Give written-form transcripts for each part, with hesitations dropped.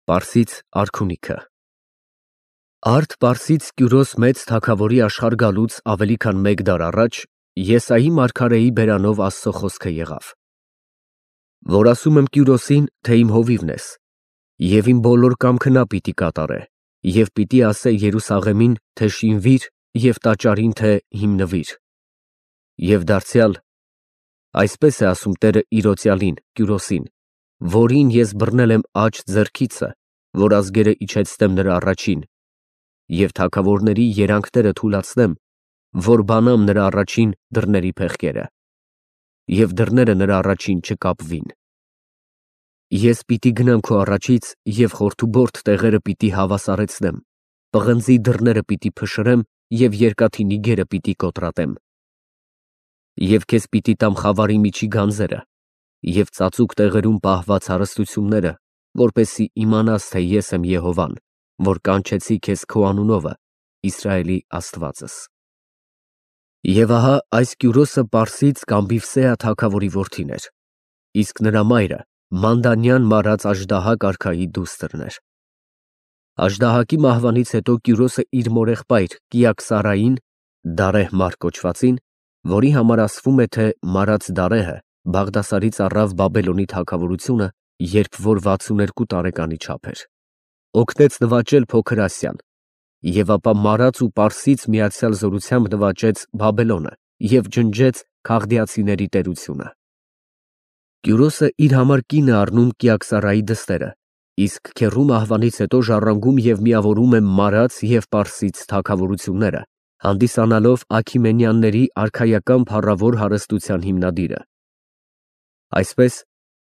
Պարսից արքունիքը Արդ Պարսից Կյուրոս մեծ թագավորի աշխարհ գալուց ավելի քան 1 դար առաջ Եսայի մարգարեի բերանով Աստծո խոսքը եղավ. Որ ասում եմ Կյուրոսին, թե իմ հովիվն ես, և իմ բոլոր կամքը նա պիտի կատարե, և պիտի ասե Երուսաղեմին, թե շինվիր, և տաճարին, թե հիմնվիր։ Եվ դարձյալ, այսպես է ասում Տերը իրոցյալին, Կյուրոսին, որին ես բռնել եմ աջ ձեռքիցը, որ ազգերը իջեցնեմ նրա առաջին, և թագավորների երանգները թուլացնեմ, որ բանամ նրա առաջին դռների փեղկերը, և դռները նրա առաջին չկապվին։ Ես պիտի գնամ քո առաջից և խորթուբորդ տեղերը պիտի հավասարեցնեմ, պղնձի դռները պիտի փշրեմ և երկաթի նիգերը պիտի կոտրատեմ։ Եվ քեզ պիտի տամ խավարի միջի գանձերը և ծածուկ տեղերում պահված հարստությունները, որպեսզի իմանաս, թե ես եմ Եհովան, որ կանչեցի քեզ քո անունովը, Իսրայելի Աստվածս։ Եվ ահա այս Կյուրոսը Պարսից կամ Բիվսեա թագավորի որդին էր, իսկ նրա մայրը Մանդանյան մարած Աժդահա կարգայի դուստրն էր։ Աժդահակի մահվանից հետո Կյուրոսը իր մորեղբայր Կիաքսարային, Դարեհ մարդ կոչվածին, որի համար ասվում է, թե մարած Դարեհը Բաղդասարից առավ Բաբելոնի թագավորությունը, երբ որ 62 տարեկանի չափ էր, օգնեց նվաճել Փոքր Ասիան, և ապա մարած ու Պարսից միացյալ զորությամբ նվաճեց Բաբելոնը և ջնջեց Քաղդիացիների տերությունը։ Կյուրոսը իր համար կին է առնում Կիաքսարայի դստերը, իսկ քեռու մահվանից հետո ժառանգում և միավորում է մարած և Պարսից թագավորությունները, հանդիսանալով Աքիմենյանների արքայական փառավոր հարստության հիմնադիրը։ Այսպես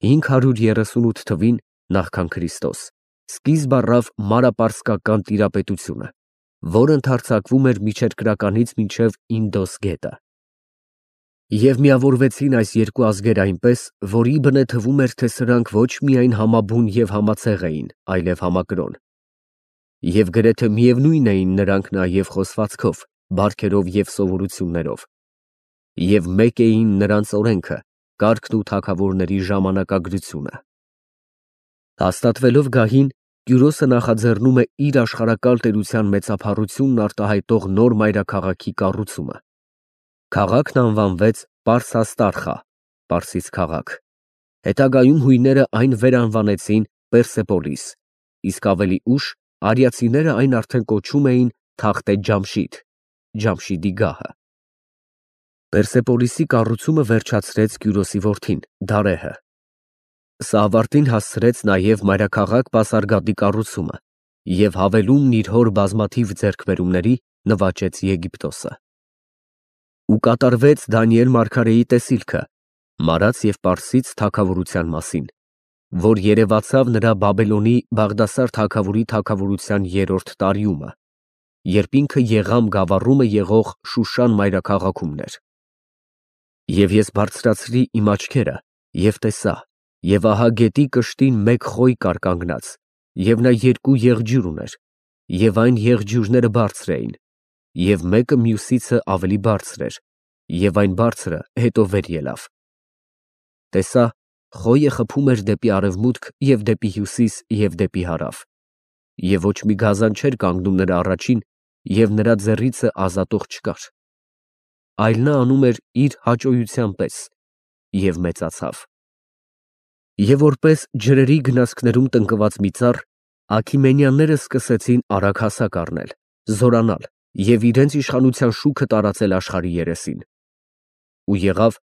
538 թվին նախքան Քրիստոս սկիզբ առավ մարապարսկական տիրապետությունը, որ ընդարձակվում էր միջերկրականից մինչև Ինդոս գետը։ Եվ միավորվեցին այս երկու ազգեր այնպես, որ իբնե թվում էր, թե սրանք ոչ միայն համաբուն և համացեղ էին, այլև համակրոն։ Եվ գրեթե միևնույն էին նրանք նաև խոսվածքով, բարքերով և սովորություններով։ Եվ մեկ էին նրանց օրենքը, կարգն ու թագավորների ժամանակագրությունը։ Հաստատվելով գահին, Կյուրոսը նախաձեռնում է իր աշխարհակալ տերության մեծափառությունն արտահայտող նոր մայրաքաղաքի կառուցումը։ Քաղաքն անվանվեց Պարսաստարխա (Պարսից քաղաք)։ Հետագայում հույները այն վերանվանեցին Պերսեպոլիս, իսկ ավելի ուշ արիացիները այն արդեն կոչում էին Թախտե Ջամշիդ (Ջամշիդի գահը)։ Պերսեպոլիսի կառուցումը վերջացրեց Կյուրոսի որդին Դարեհը։ Սա ավարտին հասցրեց նաև մայրաքաղաք Պասարգադի կառուցումը և հավելումն իր հոր բազմաթիվ ձեռքբերումների նվաճեց Եգիպտոսը։ Ու կատարվեց Դանիել մարգարեի տեսիլքը մարած և Պարսից թագավորության մասին, որ երևացավ նրա Բաբելոնի Բաղդասար թագավորի թագավորության 3-րդ տարիումը, երբ ինքը Եղամ գավառումը եղող Շուշան մայրաքաղաքում էր։ Եվ ես բարձրացրի իմ աչքերը և տեսա, և ահա գետի կշտին մեկ խոյ կար կանգնած, և նա 2 եղջյուր ուներ, և այն եղջյուրները բարձր էին, և մեկը մյուսիցը ավելի բարձր էր, և այն բարձրը հետո վեր ելավ։ Տեսա, խոյը խփում էր դեպի արևմուտք և դեպի հյուսիս և դեպի հարավ, և ոչ մի գազան չէր կանգնում նրա առաջին, և նրա ձեռիցը ազատող չկար, այլ նա անում էր իր հաճոյության պես, և մեծացավ։ Եվ որպես ջրերի գնացքներում տնկված մի ծառ, Աքիմենյանները սկսեցին արագ հասակ առնել, զորանալ և իրենց իշխանության շուքը տարածել աշխարհի երեսին։ Ու եղավ,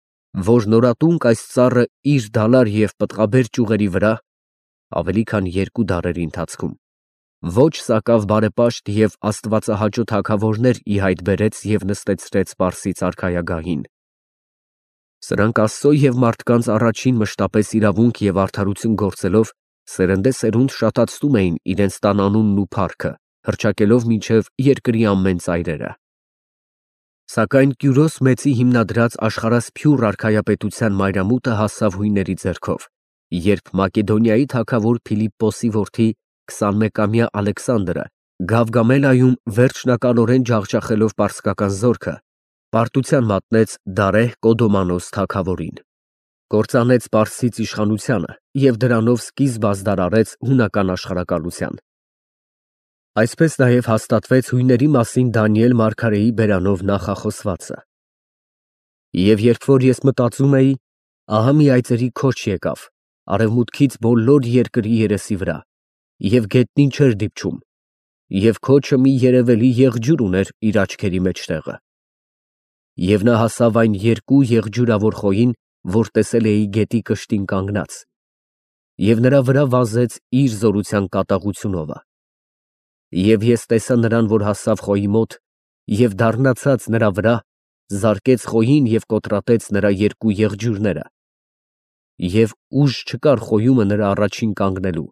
որ նորատունկ այս ծառը իր դալար և պտղաբեր ճյուղերի վրա (ավելի քան 2 դարերի ընթացքում) ոչ սակավ բարեպաշտ և աստվածահաճո թագավորներ ի հայտ բերեց և նստեցրեց Պարսից արքայագահին։ Սրանք Աստծո և մարդկանց առաջին մշտապես իրավունք և արդարություն գործելով, սերնդեսերունդ շատացնում էին իրենց տան անունն ու փառքը, հռչակելով մինչև երկրի ամեն ծայրերը։ Սակայն Կյուրոս Մեծի հիմնադրած աշխարհասփյուռ արքայապետության մայրամուտը հասավ հույների ձեռքով, երբ Մակեդոնիայի թագավոր Փիլիպպոսի որդի 21-ամյա Ալեքսանդրը Գավգամելայում վերջնականորեն ջախջախելով պարսկական զորքը, պարտության մատնեց Դարեհ Կոդոմանոս թագավորին։ կործանեց Պարսից իշխանությանը և դրանով սկիզբ ազդարարեց հունական աշխարհակալության։ Այսպես նաև հաստատվեց հույների մասին Դանիել մարգարեի բերանով նախախոսվածը. «Եվ երբ որ ես մտածում էի, ահա մի այծերի քոչ եկավ արևմուտքից բոլոր երկրի երեսի վրա, և գետնին չէր դիպչում, և քոչը մի երևելի եղջյուր ուներ իր աչքերի մեջտեղը։ Եվ նա հասավ այն երկու եղջյուրավոր խոյին, որ տեսել էի գետի կշտին կանգնած, և նրա վրա վազեց իր զորության կատաղությունովը։ Եվ ես տեսա նրան, որ հասավ խոյի մոտ, և դառնացած նրա վրա, զարկեց խոյին և կոտրատեց նրա երկու եղջյուրները, և ուժ չկար խոյումը նրա առաջին կանգնելու։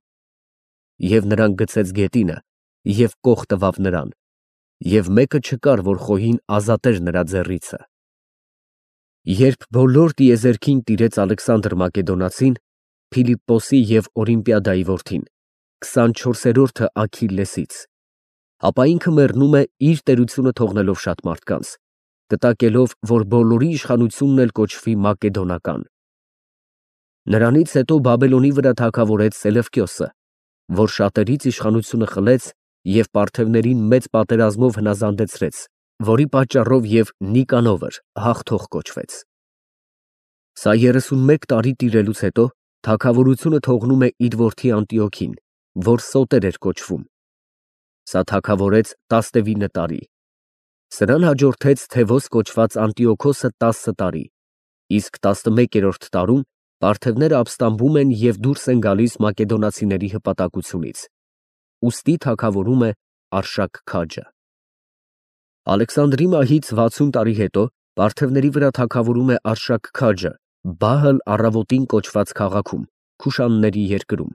Եվ նրան գցեց գետինը, և կող տվավ նրան, և մեկը չկար, որ խոյին ազատեր նրա ձեռիցը։ Երբ բոլոր տիեզերքին տիրեց Ալեքսանդր Մակեդոնացին, Փիլիպպոսի և Օրիմպիադայի որդին, 24-րդը Աքիլլեսից, ապա ինքը մեռնում է իր տերությունը թողնելով շատ մարդկանց, կտակելով, որ բոլորի իշխանությունն էլ կոչվի Մակեդոնական։ Նրանից հետո Բաբելոնի վրա թագավորեց Սելևկյոսը, որ շատերից իշխանությունը խլեց և պարթևներին մեծ պատերազմով հնազանդեցրեց, որի պատճառով և Նիկանոր հաղթող կոչվեց։ Սա 31 տարի տիրելուց հետո թագավորությունը թողնում է իր որդի Անտիոքին, որ Սոտեր էր կոչվում։ Սա թագավորեց 19 տարի։ Սրան հաջորդեց Թևոս կոչված Անտիոքոսը 10 տարի, իսկ 11-րդ տարում պարթևները ապստամբում են և դուրս են գալիս մակեդոնացիների հպատակությունից, ուստի թագավորում է Արշակ քաջը։ Ալեքսանդրի մահից 60 տարի հետո պարթևների վրա թագավորում է Արշակ քաջը Բահլ առավոտին կոչված քաղաքում, Քուշանների երկրում։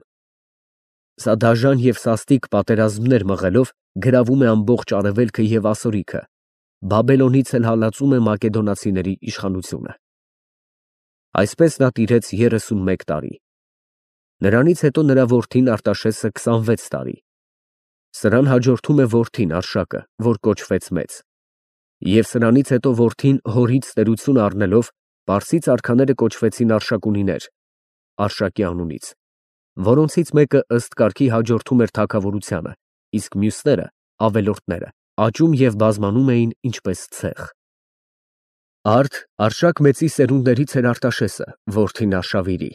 Սա դաժան և սաստիկ պատերազմներ մղելով գրավում է ամբողջ արևելքը և ասորիքը, Բաբելոնից էլ հալածում է մակեդոնացիների իշխանությունը։ Այսպես նա տիրեց 31 տարի։ Նրանից հետո նրա որդին Արտաշեսը 26 տարի։ Սրան հաջորդում է որդին Արշակը, որ կոչվեց մեծ։ Եվ սրանից հետո որդին հորից տերություն առնելով, պարսից արքաները կոչվեցին Արշակունիներ, Արշակի անունից, որոնցից մեկը ըստ կարգի հաջորդում էր թագավորությանը, իսկ մյուսները ավելորդները աճում և բազմանում էին ինչպես ցեխ։ Արշակ մեծի սերունդներից էր Արտաշեսը, որդին Արշավիրի։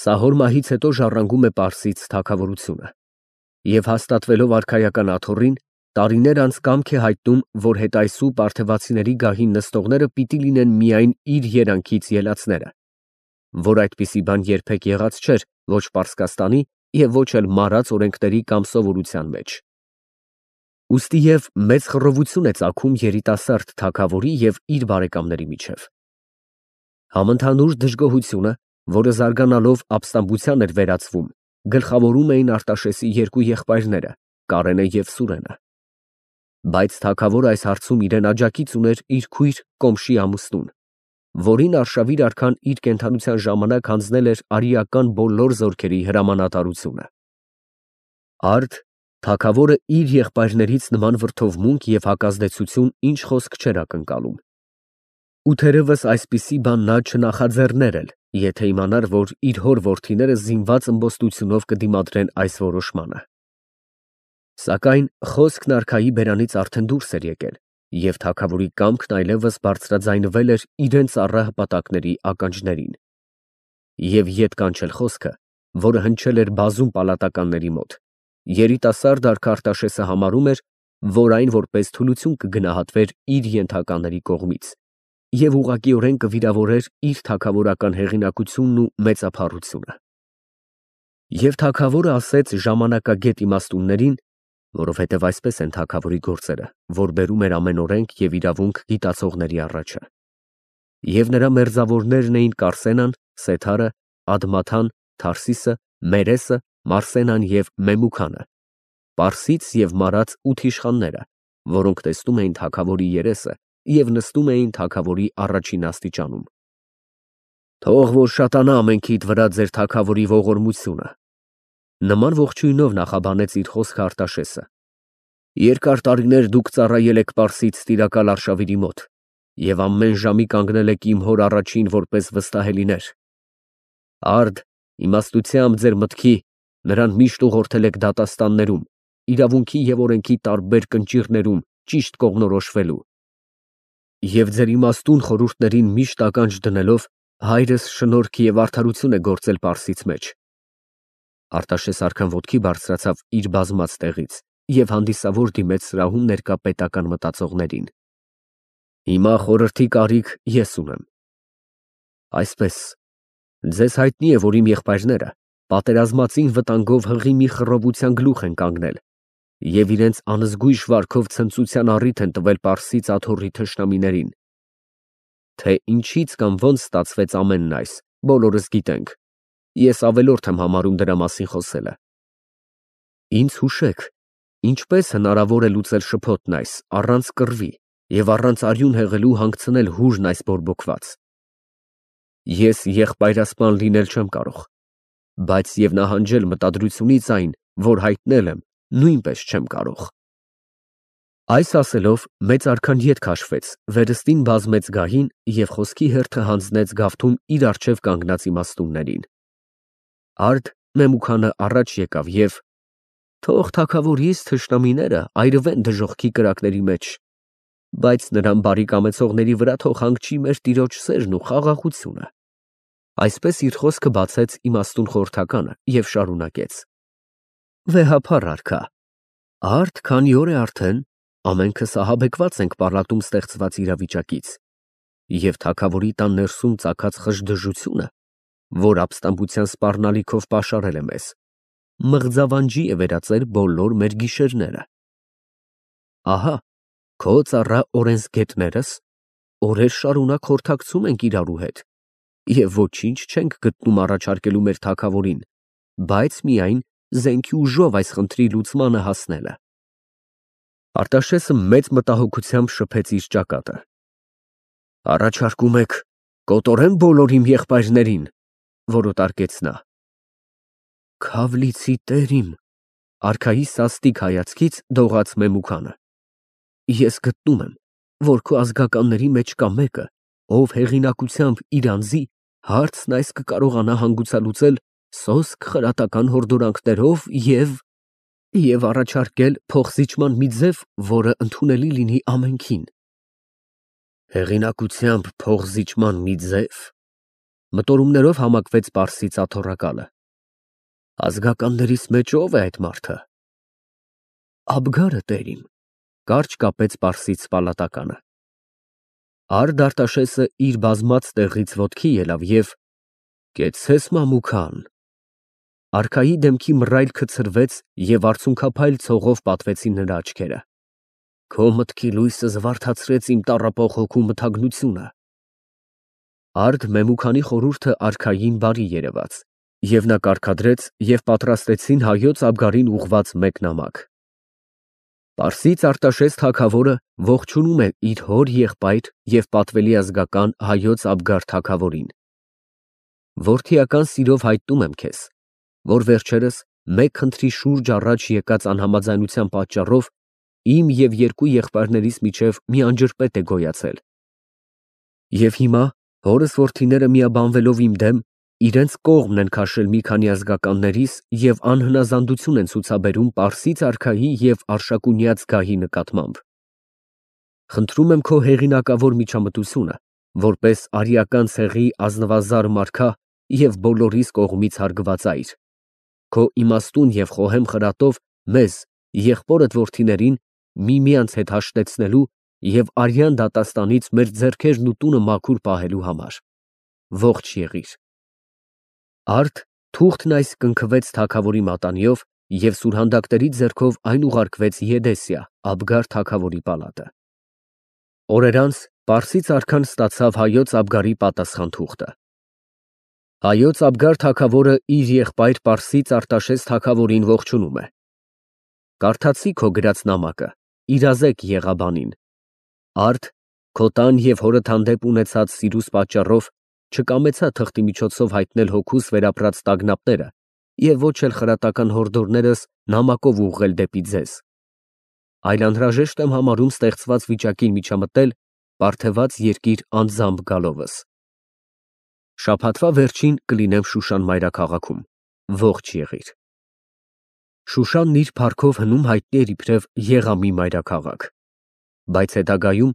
Սահոր մահից հետո ժառանգում է Պարսից թագավորությունը և հաստատվելով արքայական աթոռին, տարիներ անց կամք է հայտնում, որ հետայսու պարթևացիների գահին նստողները պիտի լինեն միայն իր երանքից ելածները, որ այդպիսի բան երբեք եղած չէր ոչ Պարսկաստանի և ոչ էլ մարած օրենքների կամ սովորության մեջ։ Ուստի և մեծ խռովություն է ծագում երիտասարդ թագավորի և իր բարեկամների միջև։ Համընդհանուր դժգոհությունը, որը զարգանալով ապստամբության էր վերածվում, գլխավորում էին Արտաշեսի երկու եղբայրները՝ Կարենը և Սուրենը։ Բայց թագավորը այս հարցում իրեն աջակից ուներ իր քույր Կոմշի ամուսնուն, որին Արշավիր արքան իր կենդանության ժամանակ հանձնել էր արիական բոլոր զորքերի հրամանատարությունը։ Թագավորը իր եղբայրներից նման վրդովմունք և հակազդեցություն ինչ խոսք չէր ակնկալում։ Ու թերևս այսպիսի բան նա չնախաձեռներ էլ, եթե իմանար, որ իր հոր որդիները զինված ըմբոստությունով կդիմադրեն այս որոշմանը։ Սակայն խոսքն արքայի բերանից արդեն դուրս էր եկել, և թագավորի կամքն այլևս բարձրաձայնվել էր իրան ծառա հպատակների ականջներին։ Եվ ետ կանչել խոսքը, որը հնչել էր բազում պալատականների մոտ, երիտասարդ արքա Արտաշեսը համարում էր, որ այն որպես թուլություն կգնահատվեր իր ենթակաների կողմից և ուղղակիորեն կվիրավորեր իր թագավորական հեղինակությունն ու մեծափառությունը։ Եվ թագավորը ասեց ժամանակագետ իմաստուններին, որովհետև այսպես են թագավորի գործերը, որ բերում էր ամեն օրենք և իրավունք գիտացողների առաջը։ Եվ նրա մերձավորներն էին Կարսենան, Սեթարը, Ադմաթան, Թարսիսը, Մերեսը, Մարսենան և Մեմուքանը, պարսից և մարած 8 իշխանները, որոնք տեսնում էին թագավորի երեսը և նստում էին թագավորի առաջին աստիճանում։ Թող որ շատանա ամենքիդ վրա ձեր թագավորի ողորմությունը, նման ողջույնով նախաբանեց իր խոսքը Արտաշեսը։ Երկար տարիներ դուք ծառայել եք Պարսից տիրակալ Արշավիրի մոտ և ամեն ժամի կանգնել եք իմ հոր առաջին որպես վստահելիներ։ Արդ, իմաստությամբ ձեր մտքի, նրան միշտ ուղղորդել եք դատաստաններում, իրավունքի և օրենքի տարբեր կնճիռներում ճիշտ կողմնորոշվելու։ Եվ ձեր իմաստուն խորհուրդներին միշտ ականջ դնելով, հայրս շնորհք և արդարություն է գործել Պարսից մեջ։ Արտաշես արքան ոտքի բարձրացավ իր բազմած տեղից և հանդիսավոր դիմեց սրահում ներկա պետական մտածողներին։ Հիմա խորհրդի կարիք ես ունեմ։ Այսպես, ձեզ հայտնի է, որ իմ եղբայրները պատերազմածին վտանգով հղի մի խռովության գլուխ են կանգնել և իրենց անզգույշ վարքով ցնծության առիթ են տվել Պարսից աթոռի թշնամիներին։ Թե ինչից կամ ոնց ստացվեց ամենն այս, բոլորս գիտենք։ Ես ավելորդ եմ համարում դրա մասին խոսելը։ Ինձ հուշեք, ինչպես հնարավոր է լուծել շփոթն այս, առանց կռվի և առանց արյուն հեղելու հանգցնել հուրն այս բորբոքված։ Ես եղբայրասպան լինել չեմ կարող, բայց և նահանջել մտադրությունից այն, որ հայտնել եմ, նույնպես չեմ կարող։ Այս ասելով, մեծ արքան ետ քաշվեց, վերստին բազմեց գահին և խոսքի հերթը հանձնեց գավթում իր առջև կանգնած իմաստուններին։ Արդ Մեմուքանը առաջ եկավ և թող թագավորիս թշնամիները այրվեն դժոխքի կրակների մեջ, բայց նրան բարի կամեցողների վրա թող հանգչի մեր տիրոջ սերն ու խաղաղությունը։ Այսպես իր խոսքը բացեց իմաստուն խորհրդականը և շարունակեց. Վեհափառ արքա, արդ քանի օր է արդեն ամենքս ահաբեկված ենք պառատում ստեղծված իրավիճակից, և թագավորի տան ներսում ծագած խժդժությունը, որ ապստամբության սպառնալիքով պաշարել է մեզ, մղձավանջի է վերածել բոլոր մեր գիշերները։ Ահա, քո ծառա օրենսգետներս օրեր շարունակ խորհրդակցում ենք իրարու հետ և ոչինչ չենք գտնում առաջարկելու մեր թագավորին, բայց միայն զենքի ուժով այս խնդրի լուծմանը հասնելը։ Արտաշեսը մեծ մտահոգությամբ շփեց իր ճակատը։ Առաջարկում եք կոտորեմ բոլոր իմ եղբայրներին, որոտարկեց նա։ Քավլիցի տեր իմ, արքայի սաստիկ հայացքից դողաց Մեմուքանը։ Ես գտնում եմ, որ քո ազգականների մեջ կա մեկը, ով հեղինակությամբ իր անձի հարցն այս կկարողանա հանգուցալուծել սոսկ խրատական հորդորանքներով և առաջարկել փոխզիջման մի ձև, որը ընդունելի լինի ամենքին։ Հեղինակությամբ փոխզիջման մի ձև, մտորումներով համակվեց Պարսից աթոռակալը։ Ազգականներիս մեջ ո՞վ է այդ մարդը։ Աբգարը, տեր իմ, կարճ կապեց Պարսից պալատականը։ Արդ Արտաշեսը իր բազմած տեղից ոտքի ելավ և կեցցես Մամուքան։ Արքայի դեմքի մռայլքը ցրվեց և արցունքափայլ ցողով պատվեցին նրա աչքերը։ Քո մտքի լույսը զվարթացրեց իմ տառապող հոգու մթագնությունը։ Արդ Մեմուքանի խորհուրդը արքային բարի երևաց, և նա կարգադրեց և պատրաստեցին Հայոց Աբգարին ուղղված մեկ նամակ։ Պարսից Արտաշես թագավորը ողջունում է իր հոր եղբայր և պատվելի ազգական Հայոց Աբգար թագավորին։ Որդիական սիրով հայտնում եմ քեզ, որ վերջերս մեկ խնդրի շուրջ առաջ եկած անհամաձայնության պատճառով իմ և երկու եղբայրներիս միջև մի անջրպետ է գոյացել։ Եվ հիմա հորս որդիները միաբանվելով իմ դեմ, իրենց կողմն են քաշել մի քանի ազգականներիս և անհնազանդություն են ցուցաբերում Պարսից արքայի և Արշակունյաց գահի նկատմամբ։ Խնդրում եմ քո հեղինակավոր միջամտությունը, որպես արիական ցեղի ազնվազար մարքա և բոլորիս կողմից հարգված այր, քո իմաստուն և խոհեմ խրատով մեզ, եղբորդ որդիներին, միմյանց հետ հաշտեցնելու և արյան դատաստանից մեր ձեռքերն ու տունը մաքուր պահելու համար։ Ողջ եղիր։ Արդ թուղթն այս կնքվեց թագավորի մատանիով և սուրհանդակների ձեռքով այն ուղարկվեց Եդեսիա, Աբգար թագավորի պալատը։ Օրեր անց Պարսից արքան ստացավ Հայոց Աբգարի պատասխան թուղթը։ Հայոց Աբգար թագավորը իր եղբայր Պարսից Արտաշես թագավորին ողջունում է։ Կարդացի քո գրած նամակը, իրազեկ եղաբանին։ Արդ քո տան և հորդ հանդեպ ունեցած սիրուս պատճառով չկամեցա թղթի միջոցով հայտնել հոգուս վերապրած տագնապները և ոչ էլ խրատական հորդորներս նամակով ուղղել դեպի ձեզ, այլ անհրաժեշտ եմ համարում ստեղծված վիճակին միջամտել Բարթևած երկիր անձամբ գալովս։ Շաբաթվա վերջին կլինեմ Շուշան մայրաքաղաքում, ողջ եղիր։ Շուշանն իր փառքով հնում հայտնի էր իբրև Եղամի մայրաքաղաք, բայց հետագայում,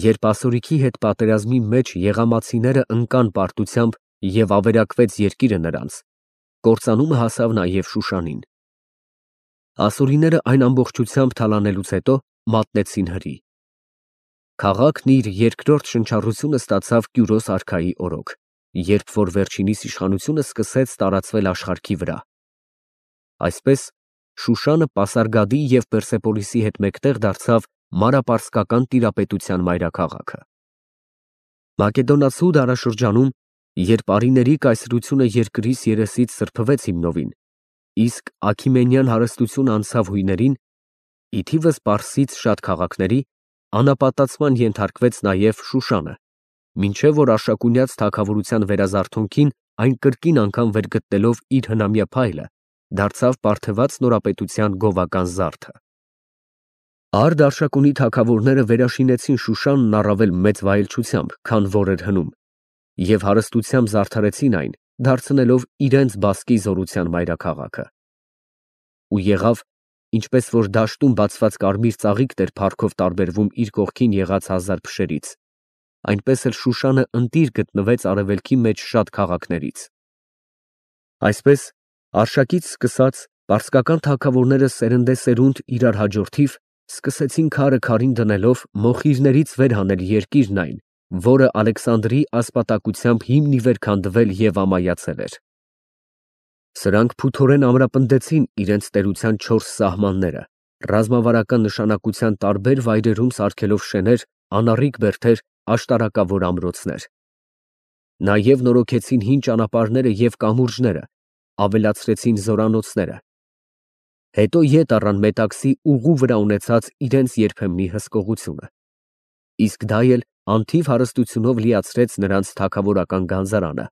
երբ ասորիքի հետ պատերազմի մեջ եղամացիները ընկան պարտությամբ և ավերակվեց երկիրը նրանց, կործանումը հասավ նաև Շուշանին։ Ասորիները այն ամբողջությամբ թալանելուց հետո մատնեցին հրի։ Քաղաքն իր երկրորդ շնչառությունը ստացավ Կյուրոս արքայի օրոք, երբ որ վերջինիս իշխանությունը սկսեց տարածվել աշխարհի վրա։ Այսպես Շուշանը Պասարգադի և Պերսեպոլիսի հետ մեկտեղ դարձավ մանրապարսկական տիրապետության մայրաքաղաքը։ Մակեդոնացու դարաշրջանում, երբ արիների կայսրությունը երկրից երեսից սրբվեց հիմնովին, իսկ Աքիմենյան հարստությունը անցավ հույներին, ի թիվս Պարսից շատ քաղաքների, անապատացման ենթարկվեց նաև Շուշանը, մինչև որ Արշակունյաց թագավորության վերազարթոնքին այն կրկին անգամ վերգտնելով իր հնամյա փայլը, դարձավ Պարթևած նորապետության գովական զարդը։ Արդ Արշակունի թագավորները վերաշինեցին Շուշանն առավել մեծ վայելչությամբ, քան որ էր հնում, և հարստությամբ զարդարեցին այն, դարձնելով իրենց բասկի զորության մայրաքաղաքը։ Ու եղավ, ինչպես որ դաշտում բացված կարմիր ծաղիկն էր փառքով տարբերվում իր կողքին եղած հազար փշերից, այնպես էլ Շուշանը ընտիր գտնվեց արևելքի մեջ շատ քաղաքներից։ Այսպես Արշակից սկսած պարսկական թագավորները սերնդեսերունդ իրար հաջորդիվ սկսեցին քարը քարին դնելով մոխիրներից վեր հանել երկիրն այն, որը Ալեքսանդրի ասպատակությամբ հիմն ի վեր քանդվել և ամայացել էր։ Սրանք փութորեն ամրապնդեցին իրենց տերության 4 սահմանները, ռազմավարական նշանակության տարբեր վայրերում սարքելով շեներ, անառիկ բերդեր, աշտարակավոր ամրոցներ։ Նաև նորոգեցին հին ճանապարհները և կամուրջները, ավելացրեցին զորանոցները։ Հետո ետ առան Մետաքսի ուղու վրա ունեցած իրենց երբեմնի հսկողությունը։ Իսկ դա էլ անթիվ հարստությունով լիացրեց նրանց թագավորական գանձարանը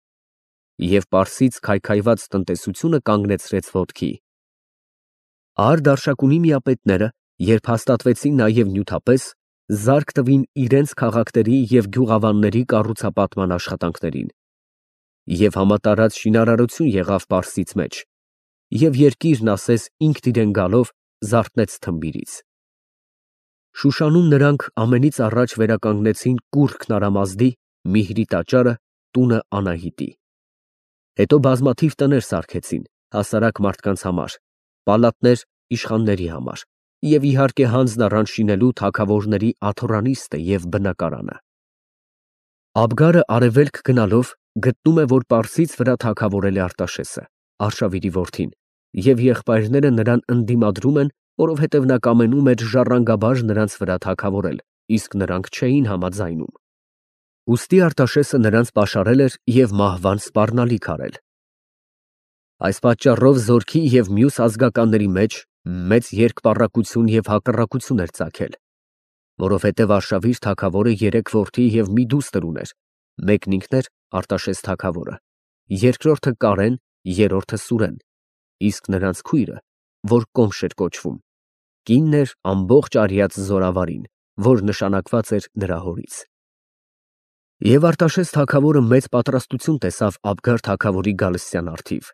և Պարսից քայքայված տնտեսությունը կանգնեցրեց ոտքի։ Արդ Արշակունի միապետները, երբ հաստատվեցին նաև նյութապես, զարկ տվին իրենց քաղաքների և գյուղավանների կառուցապատման աշխատանքներին։ Եվ համատարած շինարարություն եղավ Պարսից մեջ, և երկիրն ասես ինքն իրեն գալով զարթնեց թմբիրից։ Շուշանում նրանք ամենից առաջ վերականգնեցին կուռքն Արամազդի, Միհրի տաճարը, տունը Անահիտի։ Հետո բազմաթիվ տներ սարքեցին, հասարակ մարդկանց համար, պալատներ իշխանների համար և իհարկե հանձն առան շինելու թագավորների աթոռանիստը և բնակարանը։ Աբգարը արևելք գնալով գտնում է, որ Պարսից վրա թագավորել է Արտաշեսը, Արշավիրի որդին, և եղբայրները նրան ընդդիմադրում են, որովհետև նա կամենում էր ժառանգաբար նրանց վրա թագավորել, իսկ նրանք չէին համաձայնում։ Ուստի Արտաշեսը նրանց պաշարել էր և մահվան սպառնալիք արել։ Այս պատճառով զորքի և մյուս ազգականների մեջ մեծ երկպառակություն և հակառակություն էր ծագել, որովհետև Արշավիր թագավորը 3 որդի և մի դուստր ուներ, մեկն ինքն էր Արտաշես թագավորը, երկրորդը Կարեն, երրորդը Սուրեն, իսկ նրանց քույրը, որ Կոմշ էր կոչվում, կինն էր ամբողջ արյաց զորավարին, որ նշանակված էր նրա հորից։ Եվ Արտաշես թագավորը մեծ պատրաստություն տեսավ Աբգար թագավորի գալստյան առթիվ,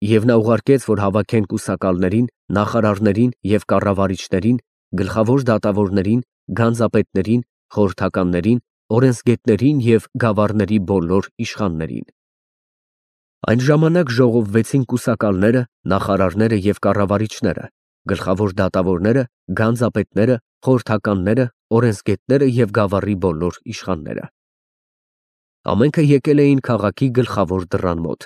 և նա ուղարկեց, որ հավաքեն կուսակալներին, նախարարներին և կառավարիչներին, գլխավոր դատավորներին, գանձապետներին, խորհրդականներին, օրենսգետներին և գավառների բոլոր իշխաններին։ Այն ժամանակ ժողովվեցին կուսակալները, նախարարները և կառավարիչները, գլխավոր դատավորները, գանձապետները, խորհրդականները, օրենսգետները և գավառի բոլոր իշխանները։ Ամենքը եկել էին քաղաքի գլխավոր դռան մոտ,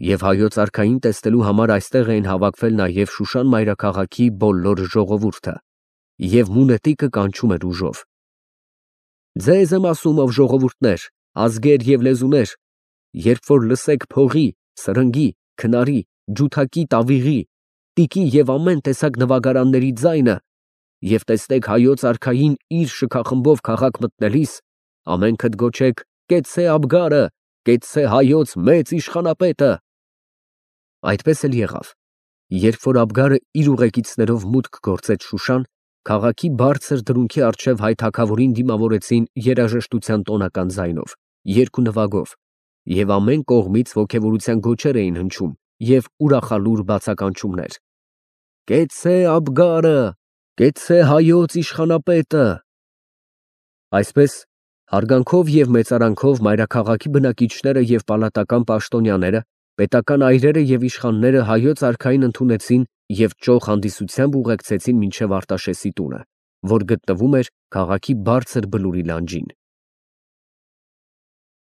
և հայոց արքային տեսնելու համար այստեղ էին հավաքվել նաև Շուշան մայրաքաղաքի բոլոր ժողովուրդը, և մունետիկը կանչում էր ուժով. «Ձեզ եմ ասում, ով ժողովուրդներ, ազգեր և լեզուներ, երբ որ լսեք փողի, սրնգի, քնարի, ջութակի, տավիղի, տիկի և ամեն տեսակ նվագարանների ձայնը և տեսնեք հայոց արքային իր շքախմբով քաղաք մտնելիս, ամենքդ գոչեք. «Կեցցե Աբգարը, կեցցե հայոց մեծ իշխանապետը»։ Այդպես էլ եղավ, երբ որ Աբգարը իր ուղեկիցներով մուտք գործեց Շուշան, Քաղաքի բարձր դրունքի առջև հայ թագավորին դիմավորեցին երաժշտության տոնական ձայնով, երգ ու նվագով, և ամեն կողմից ոգևորության գոչեր էին հնչում և ուրախալուր բացականչումներ. «Կեցցե Աբգարը, կեցցե հայոց իշխանապետը»։ Այսպես հարգանքով և մեծարանքով մայրաքաղաքի բնակիչները և պալատական պաշտոնյաները, պետական այրերը և իշխանները հայոց արքային ընդունեցին և ճոխ հանդիսությամբ ուղեկցեցին մինչև Արտաշեսի տունը, որ գտնվում էր քաղաքի բարձր բլուրի լանջին։